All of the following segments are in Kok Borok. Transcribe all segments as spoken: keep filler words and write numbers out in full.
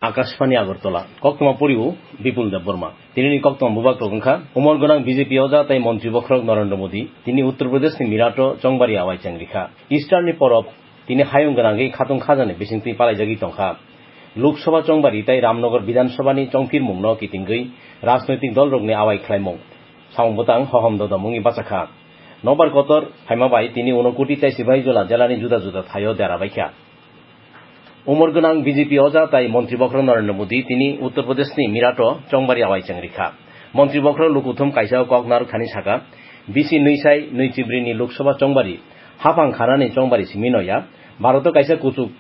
Akashvani Agartala, koktwma poriwo Bipul Debbarma. Tinini koktwma bubak rok wngkha, umor gwnang B J P oja tei montri bokhorok Narendra Modi, tini Uttar Pradesh ni Mirato chongbari awai chengrikha. Easter ni porop tini hayung gwnangwi khatung khajani bisingtwi palaijagwi tongkha. Lok Sabha chongbari tei Ramnagar Bidhan Sabha ni chongphirmung no kitingwi rajnoitik dol rokni awai khlaimung samung bwtang hohom dodom wngwi bachakha. Nobar kotor phaima bai tini Unakoti tei Sipahijola jela ni juda juda thaio dera baikha. Umor gwnang B J P oja tai montri bokhorok Narendra Modi tini Uttar Pradesh ni Mirato chongbari awai chengrikha. Montri bokhorok lukuthum kaisa o kok narwk thani saka, bisi nwi sai nwi chibri ni Lok Sabha chongbari haphang khanani chongbari simi no ya, Bharat o kaisa kuchuk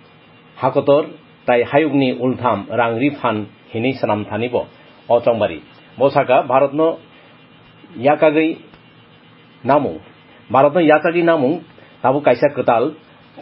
hakotor tai hayuk ni ultham rang ri phan hinwi swnam thani bo o chongbari. Bo saka, Bharat no yakagwi namung. Bharatno yachagwi namung tabuk kaisa kwtal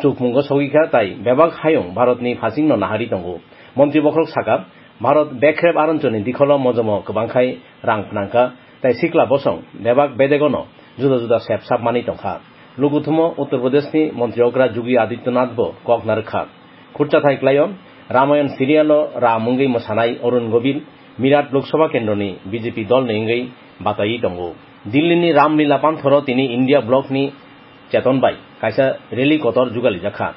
chukmungo sogwi kha, tai bebak hayung Bharatni phasingno nahari tongo. Montri bokhorok saka, Bharat bekrep aronchoni dikholo mojomo kwbangkhai rang phnangkha, tai sikla bosong bebak bedegono juda juda sep sap manwi tongkha. Lukuthumo Uttar Pradeshni montri okra Yogi Adityanath bo kok narwkha. Khurchathai klaio, Ramayan serialo ram wngwi mwsanai Arun Gobil Mirat Lok Sabha kendroni B J P dolni wngwi bataiwi tongo. Dillini Ramlila panthoro tini India Blockni Cheton bai kaisa rally kotor jugalijakha.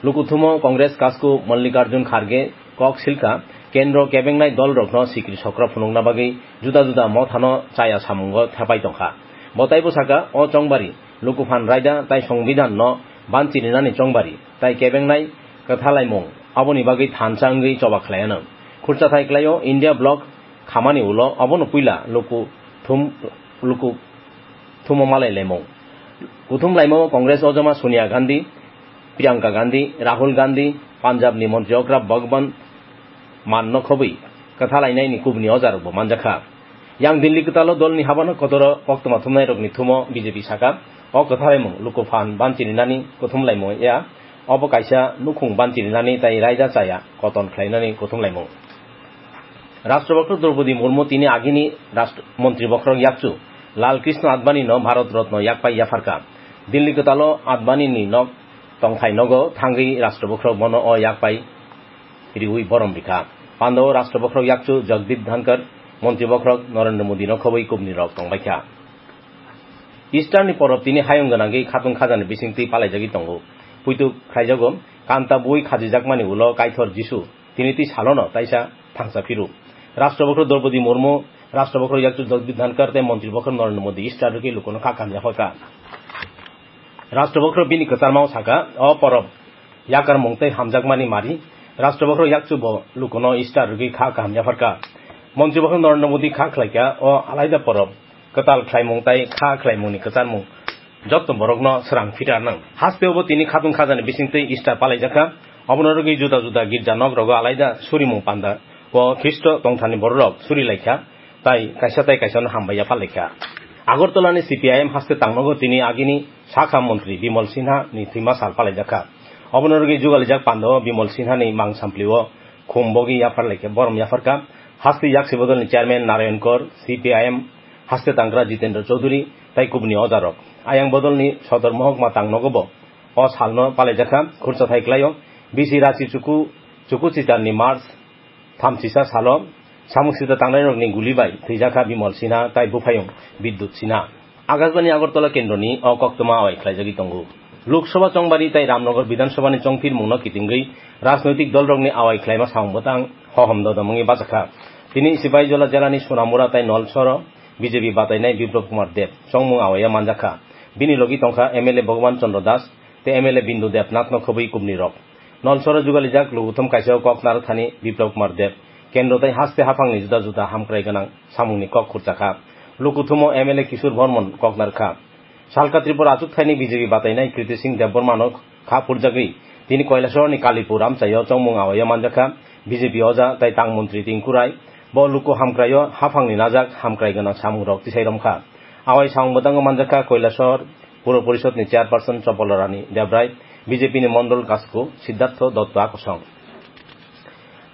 Lukuthumo Congress kasku Mallikarjun Kharge kok silkha, kendro kebengnai dolrokno sikri sokra phunukna bagwi juda juda mothano chaya samungo thepai tongkha. Bo taibo saka, o chongbari lukuphan raida tai songbidanno banchirinani chongbari tai kebengnai kwthalaimung aboni bagwi thansa wngwi choba khlaianw. Khurchathai klaio, India Block khamani ulo obono puila luku thum, luku thumo malai laimung. Kuthum laimao Congress ojama Sonia Gandhi, Priyanka Gandhi, Rahul Gandhi, Punjabni montri okra Bhagwant Manno khobwi kwthalainaini kubni ojarokbo manjakha. Yang Delhi kwtalo dolni habano kotoro koktwma thumnairokni thumo B J P saka, o kwthalaimung lukuphan banchirinani kuthumlaimung ya, obo kaisa nukhung banchirinani tai raida chaya koton khlainani kuthumlaimung. Rashtra bokhorok Draupadi Murmu tini agini rashtra, montri bokhorok yakchu Lal Krishna Advani no Bharat Ratna yakpai yapharkha. Delhi kwtalo Advani ni nok tongthai nogo thangwi rashtra bokhorok bono o yakpai riwi borom rikha. Pandao rashtra bokhorok yakchu Jagdeep Dhankhar, montri bokhorok Narendra Modi no khobwi kubni rok tongbaikha. Easter ni porop tini hayung gwnangwi khatung khajani bisingtwi palaijagwi tongo. Puitu khlaijago, kanta bui khajijakmani ulo Kaithor Jisu tini twi salono taisa thangsa phiru. Rashtra bokhorok Draupadi Murmu, rashtra bokhorok yakchu Jagdeep Dhankhar tei montri bokhorok Narendra Modi Easter rwgwi lukuno kha kamya hoika. Rashtra bokhorok bini kwcharmao saka, o porop yakarmung tei hamjakmani mari. Rashtra bokhorok yakchu bo lukuno Easter rwgwi kha kaham yapharkha. Montri bokhorok Narendra Modi kha khlaikha, o alaida porop kwtal khlaimung tai kha khlaimungni kwcharmung jotto borokno srang phirarnang. Hasteo bo tini khatung khajani bisingtwi Easter palaijakha. Obono rwgwi juda juda girja nok rogo alaida surimung panda o Khristo tongthani bororok surilaikha. Tai kaisa tai kaisa no hambai yapharlaikha. Agartala ni C P I M haste tangnogo tini agini sakha montri Bimal Sinha ni thwima sal palaijakha. Obono rwgwi jugalijak pandao Bimal Sinha ni mang samplio khum bogwi yapharlaikha, borom yapharkha. Haste yaksi bodol ni chairman Narayan Kor, C P I M haste tangkra Jitendra Chaudhary tai kubuni ojarok. Ayang bodol ni sodor mohokma tangnogo bo o salno palaijakha. Khurchathai klaio, bisi rachi chuku, chuku chitarni March thamchisa salo samung sita tangnairokni guli bai thwijakha Bimal Sinha tai buphayung Bidyut Sinha. Akashbani Agartala kendroni o koktwma awai khlaijagwi tongo. Lok Sabha chongbari tai Ramnagar Bidhan Sabha ni chongphirmungno kitingwi rajnoitik dolrokni awai khlaima samung bwtang hohom dodom wngwi bachakha. Tini Sipahijola jelani Sonamura tai Nolsoro B J P batainai Biplab Kumar Deb chongmung awaio manjakha. Bini logi tongkha M L A Bhagwan Chandra Das tei M L A Bindu Debnathno khobwi kubni rok. Nolsoro jugalijak lukuthum kaisa o kok narwk thani Biplab Kumar Deb kendro tei haste haphangni juda juda hamkrai gwnang samungni kok khurchakha. Lukuthumo M L A Kishore Bharman kok narwkha. Salka Tripura achuk thaini B J P batainai Kriti Singh Debbarmano kha phurjagwi tini Kailasahar ni Kalipur amchaio chongmung awaio manjakha. B J P oja tai tang montri Tinku Rai bo luku hamkraio haphangni najak hamkrai gwnang samungrok tisai romkha. Awai samung bwtango manjakha Kailasahar Puro Porishod ni chairperson Chopolorani Debrai, B J P ni mondol kasku Siddhartho Dotto Akosong.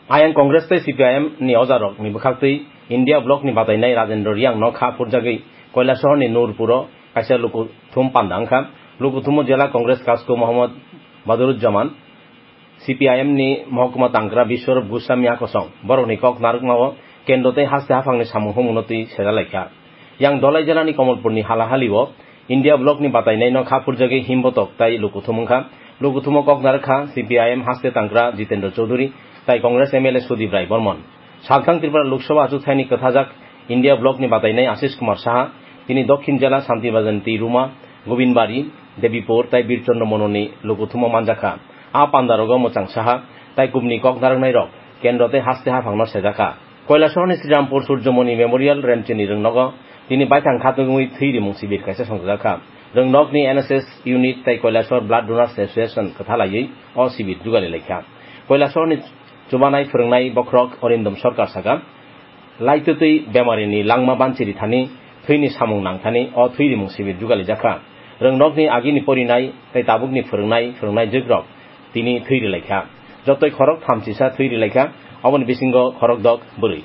Ayang Congress tei C P I M ni ojarok ni bwkhaktwi India Block ni batainai Rajendra Reang no kha phurjagwi Kailasahar ni Nurpuro kaisa lukuthum panda wngkha. Lukuthumo jela Congress kasku Mohammad Badruzzaman, C P I M ni mohokuma tangkra Biswarup Goswami a kosong borokni kok narwkmao kendro tei haste haphangni samung humungno twi sejalaikha. Yang Dhalai jelani Kamalpurni halahalio India Blockni batainaino kha phurjagwi himbotok tai lukuthum wngkha. Lukuthumo kok narwkha C P I M haste tangkra Jitendra Chaudhary tai Congress M L A Sudip Rai Barman. Salthang Tripura Lok Sabha achukthani kwthajak India Blockni batainai Ashish Kumar Saha, tini Dokhin jela Santi Bazarni Twi Ruma, Gobindbari, Debipur tai Birchandra Mononi lukuthumo manjakha. A pandarogo mwchang saha tai kubni kok narwknairok kendro tei haste haphangno sejakha. Koilasahorni Srirampur Surjomoni Memorial Remchini rwngnogo tini baithang khatungwi thwi rimung sibir kaisa songchajakha. Rwngnokni N S S unit tai Koilasahor Blood Donors Association kwthalaiwi o sibir jugali laikha. Koilasahorni chubanai phwrwngnai bokhorok Arindam Sarkar saka, laitwtwi bemarini langma banchiri thani thwini samung nangthani o thwi rimung sibir jugalijakha. Rwngnokni agini porinai tei tabukni phwrwngnai phwrwngnai jwkrok tini thwi rilaikha. Jotoi khorok thamchisa thwi rilaikha, oboni bisingo khorok dok bwrwi.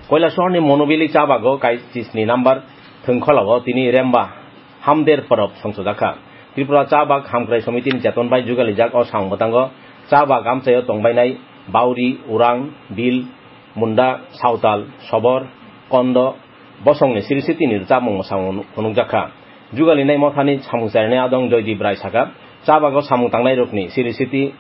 Koilasahorni Monobili cha bago kaichisni number thwngkholao tini Remba Hamder Porop songchojakha. Tripura Cha Bag Hamkrai Somitini cheton bai jugalijak o samung bwtango cha bag amchaio tongbainai Bauri, Urang, Bil, Munda, Sautal, Sobor, Kondo, bosongni siri sitini rwchapmung mwsamung phunukjakha. Jugalinai mothani samung charinai adong Joydeep Rai saka, cha bago samung tangnairokni siri siti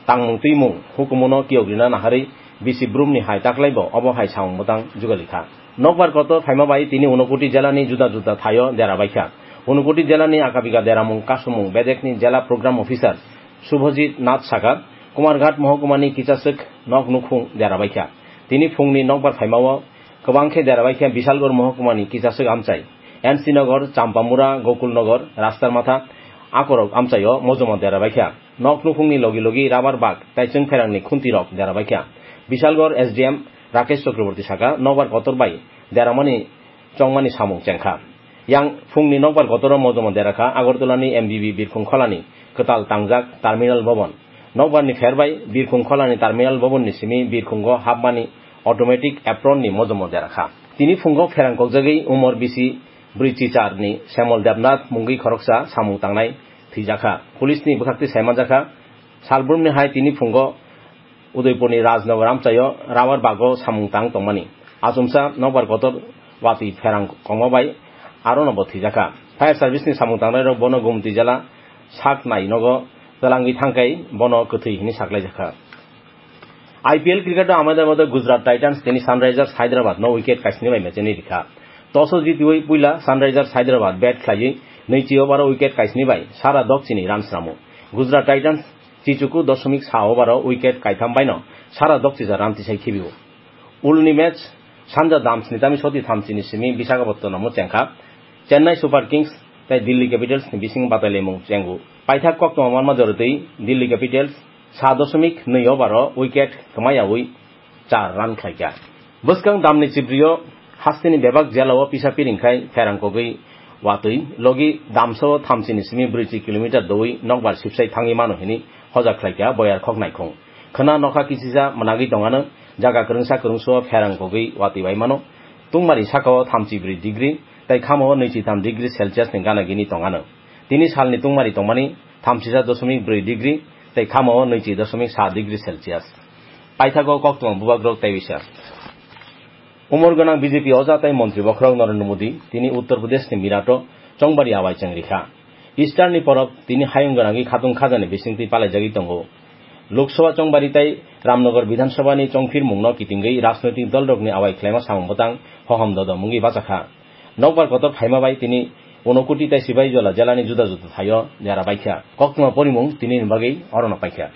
tangmung twimung hukumuno kiyokrina naharwi bisi brumni hai taklaibo obo hai samung bwtang jugalikha. Nokbar kotor phaima bai tini Unakoti jelani juda juda thaio dera baikha. Unakoti jelani akabiga deramung kasumung bedekni jela program officer Subhajit Nath saka, Kumarghat mohokumani kichaswk nok nukhung dera baikha. Tini phungni nokbar phaimao kwbang khe dera baikha Bishalgarh mohokumani kichaswk amchai. N C Nagar, Champamura, Gokulnagar, Rastamatha akorok amchaio mojomo dera baikha. Nok nukhungni logi logi rubber bag tai chwngpherangni khuntirok dera baikha. Bishalgarh S D M Rakesh Chakraborty saka, nokbar kotor bai deramani chongmani samung chengkha. Yang phungni nokbar kotoro mojomo derakha Agartalani M B B Birkhung Kholani kwtal tangjak Terminal Bhavan. Nokbarni pher bai Birkhung Kholani Terminal Bhavanni simi Birkhungo hapmani automatic apron ni mojomo derakha. Tini phungo pherang kokjagwi umor bisi brwi chicharni Semol Debnath mungwi khoroksa samung tangnai thwijakha. Police ni bwkhaktwi saimanjakha, salbrumni hai tini phungo Udaipurni Rajnagar amchaio rubber bago samung tang tongmani. Achomsa nokbar kotor watwi pherang kongma bai arono bo thwijakha. Fire service ni samung tangnairok bono Gumti jela sak nai nogo twlangwi thangkhai bono kwthwi hwnwi saklaijakha. I P L cricket o Ahmedabad o Gujarat Titans tini Sunrisers Hyderabad no wicket kaisni bai mecheni rikha. Toss o jitiwi puila Sunrisers Hyderabad bat khlaiwi nwichi over o wicket kaisni bai sara dokchini run sramu. Gujarat Titans chichuku dosomik sa over o wicket kaitham baino sara dokchija run tisai khibio. Ulni match sanja damsni tami soti thamchini simi Visakhapatnam o chengkha. Chennai Super Kings tei Delhi Capitals ni bising batailaimung chengo. Paithak koktwma manma joritwi Delhi Capitals sa dosomik nwi over o wicket kwmayawi char run khlaikha. Bwskang damni chibrio hasteni bebak jela o pisa piring khai pherang kogwi watwi logi damsa o thamchini simi brwichi kilometer dowi nokbar sibsai thangwi mano hini hojak khlaikha boyar khok naikhung. Khwna nokha kichisa mwnagwi tongano, jaga kwrwngsa kwrwngsa o pherang kogwi watwi bai mano. Tungmari saka o thamchi brwi degree tei khama o nwichi tham degree Celsius ni gana gini tongano. Tini salni tungmari tongmani thamchisa dosomik brwi degree tei khama o nwichi dosomik sa degree Celsius. Paithago koktwma bubagrok tei bisa. Umor gwnang B J P oja tei montri bokhorok Narendra Modi tini Uttar Pradesh ni Mirato chongbari awai cheng rikha. Easter ni porop tini hayung gwnangwi khatung khajani bisingtwi palaijagwi tongo. Lok Sabha chongbari tei Ramnagar Bidhan Sabha ni chongphirmungno kitingwi rajnoitik dolrokni awai khlaima samung bwtang hohom dodom wngwi bachakha. Nokbar kotor phaima bai tini Unakoti tei Sipahijola jelani juda juda thaio dera baikha. Koktwma porimung tini ni bagwi orono paikha.